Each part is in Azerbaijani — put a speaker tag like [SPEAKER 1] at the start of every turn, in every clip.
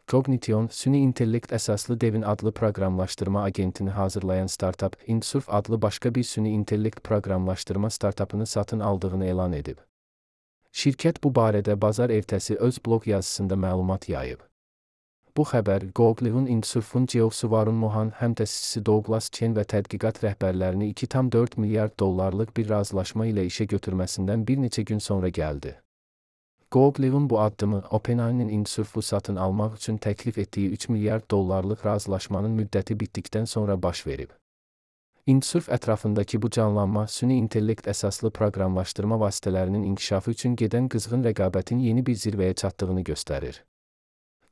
[SPEAKER 1] Cognition, süni intellekt əsaslı Devin adlı proqramlaşdırma agentini hazırlayan startup, Insurf adlı başqa bir süni intellekt proqramlaşdırma startupını satın aldığını elan edib. Şirkət bu barədə bazar ertəsi öz blog yazısında məlumat yayıb. Bu xəbər, Cognition Insurf'un CEO-su Varun Mohan, həmtəsisçisi Douglas Chen və tədqiqat rəhbərlərini $2,4 milyard bir razılaşma ilə işə götürməsindən bir neçə gün sonra gəldi. Cognition bu addımı, OpenAI'nin Insurf'u satın almaq üçün təklif etdiyi $3 milyard razılaşmanın müddəti bitdikdən sonra baş verib. Insurf ətrafındakı bu canlanma, süni intellekt əsaslı proqramlaşdırma vasitələrinin inkişafı üçün gedən qızğın rəqabətin yeni bir zirvəyə çatdığını göstərir.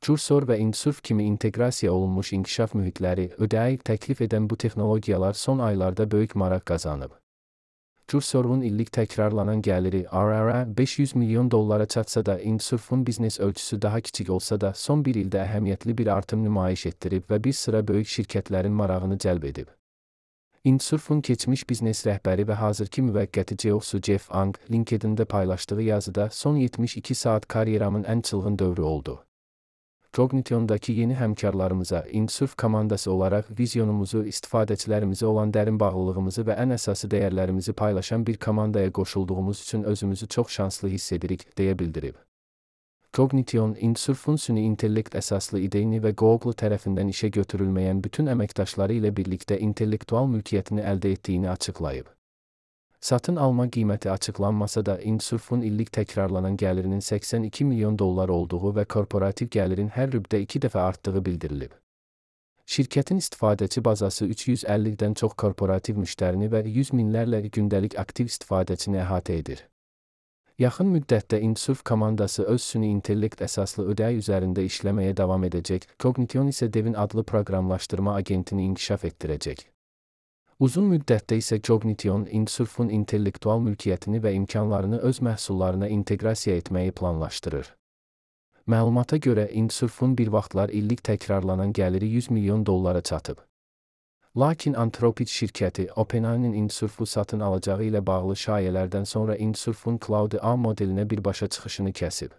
[SPEAKER 1] Cursor və Insurf kimi inteqrasiya olunmuş inkişaf mühitləri, ödəyi təklif edən bu texnologiyalar son aylarda böyük maraq qazanıb. Cursor'un illik təkrarlanan gəliri RR'a $500 milyon çatsa da, Insurf'un biznes ölçüsü daha kiçik olsa da, son bir ildə əhəmiyyətli bir artım nümayiş etdirib və bir sıra böyük şirkətlərin marağını cəlb edib. Insurf'un keçmiş biznes rəhbəri və hazırki müvəqqəti CEO-su Jeff Ang, LinkedIn'də paylaşdığı yazıda son 72 saat karyeramın ən çılğın dövrü oldu. Cognition'dakı yeni həmkarlarımıza, Insurf komandası olaraq vizyonumuzu, istifadəçilərimizə olan dərin bağlılığımızı və ən əsası dəyərlərimizi paylaşan bir komandaya qoşulduğumuz üçün özümüzü çox şanslı hiss edirik, deyə bildirib. Cognition, Insurf'un süni intellekt əsaslı ideyini və Google tərəfindən işə götürülməyən bütün əməkdaşları ilə birlikdə intellektual mülkiyyətini əldə etdiyini açıqlayıb. Satın alma qiyməti açıqlanmasa da, Insurf'un illik təkrarlanan gəlirinin $82 milyon olduğu və korporativ gəlirin hər rübdə 2 dəfə artdığı bildirilib. Şirkətin istifadəçi bazası 350-dən çox korporativ müştərini və 100 minlərlə gündəlik aktiv istifadəçini əhatə edir. Yaxın müddətdə Insurf komandası öz süni intellekt əsaslı ödəyi üzərində işləməyə davam edəcək, Cognition isə Devin adlı proqramlaşdırma agentini inkişaf etdirəcək. Uzun müddətdə isə Cognition, Insurf'un intellektual mülkiyyətini və imkanlarını öz məhsullarına inteqrasiya etməyi planlaşdırır. Məlumata görə, Insurf'un bir vaxtlar illik təkrarlanan gəliri $100 milyon çatıb. Lakin Anthropic şirkəti, OpenAI'nin Insurf'u satın alacağı ilə bağlı şayələrdən sonra Insurf'un Cloud-A modelinə birbaşa çıxışını kəsib.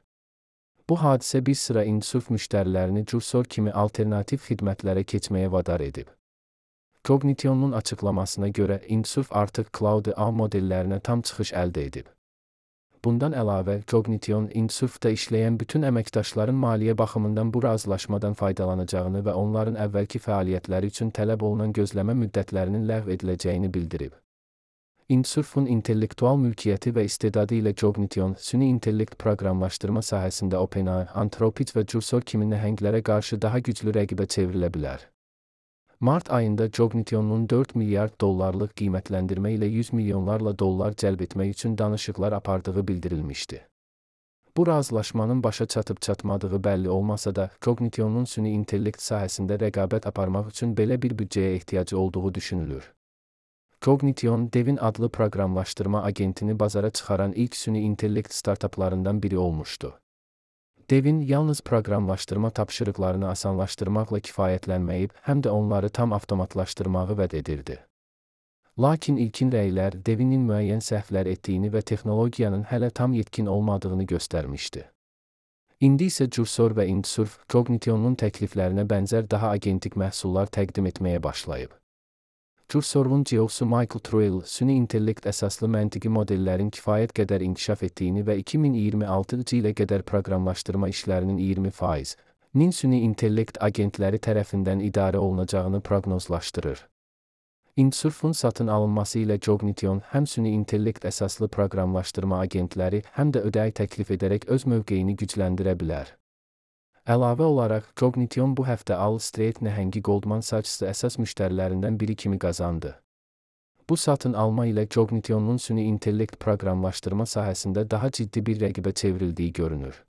[SPEAKER 1] Bu hadisə bir sıra Insurf müştərilərini Cursor kimi alternativ xidmətlərə keçməyə vadar edib. Cognition'un açıqlamasına görə, Insurf artıq Cloud-A modellərinə tam çıxış əldə edib. Bundan əlavə, Cognition, Insurf'da işləyən bütün əməkdaşların maliyyə baxımından bu razılaşmadan faydalanacağını və onların əvvəlki fəaliyyətləri üçün tələb olunan gözləmə müddətlərinin ləğv ediləcəyini bildirib. Insurf'un intellektual mülkiyyəti və istedadı ilə Cognition, süni intellekt proqramlaşdırma sahəsində OpenAI, Anthropic və Cursor kimi nəhənglərə qarşı daha güclü rəqibə çevrilə bilər. Mart ayında Cognition'un $4 milyard qiymətləndirmə ilə $100 milyonlarla cəlb etmək üçün danışıqlar apardığı bildirilmişdi. Bu razılaşmanın başa çatıb-çatmadığı bəlli olmasa da, Cognition'un süni intellekt sahəsində rəqabət aparmaq üçün belə bir büdcəyə ehtiyacı olduğu düşünülür. Cognition, Devin adlı proqramlaşdırma agentini bazara çıxaran ilk süni intellekt startuplarından biri olmuşdu. Devin yalnız proqramlaşdırma tapşırıqlarını asanlaşdırmaqla kifayətlənməyib, həm də onları tam avtomatlaşdırmağı vəd edirdi. Lakin ilkin rəylər Devinin müəyyən səhvlər etdiyini və texnologiyanın hələ tam yetkin olmadığını göstərmişdi. İndi isə Cursor və Insurf, Cognition'un təkliflərinə bənzər daha agentik məhsullar təqdim etməyə başlayıb. Cursor'un CEO-su Michael Truel, süni intellekt əsaslı məntiqi modellərin kifayət qədər inkişaf etdiyini və 2026 ilə qədər proqramlaşdırma işlərinin 20%-nin süni intellekt agentləri tərəfindən idarə olunacağını proqnozlaşdırır. Insurf'un satın alınması ilə Cognition, həm süni intellekt əsaslı proqramlaşdırma agentləri, həm də ödəyi təklif edərək öz mövqeyini gücləndirə bilər. Əlavə olaraq, Cognition bu həftə Wall Street nəhəngi Goldman Sachs əsas müştərilərindən biri kimi qazandı. Bu satın alma ilə Cognition'un süni intellekt proqramlaşdırma sahəsində daha ciddi bir rəqibə çevrildiyi görünür.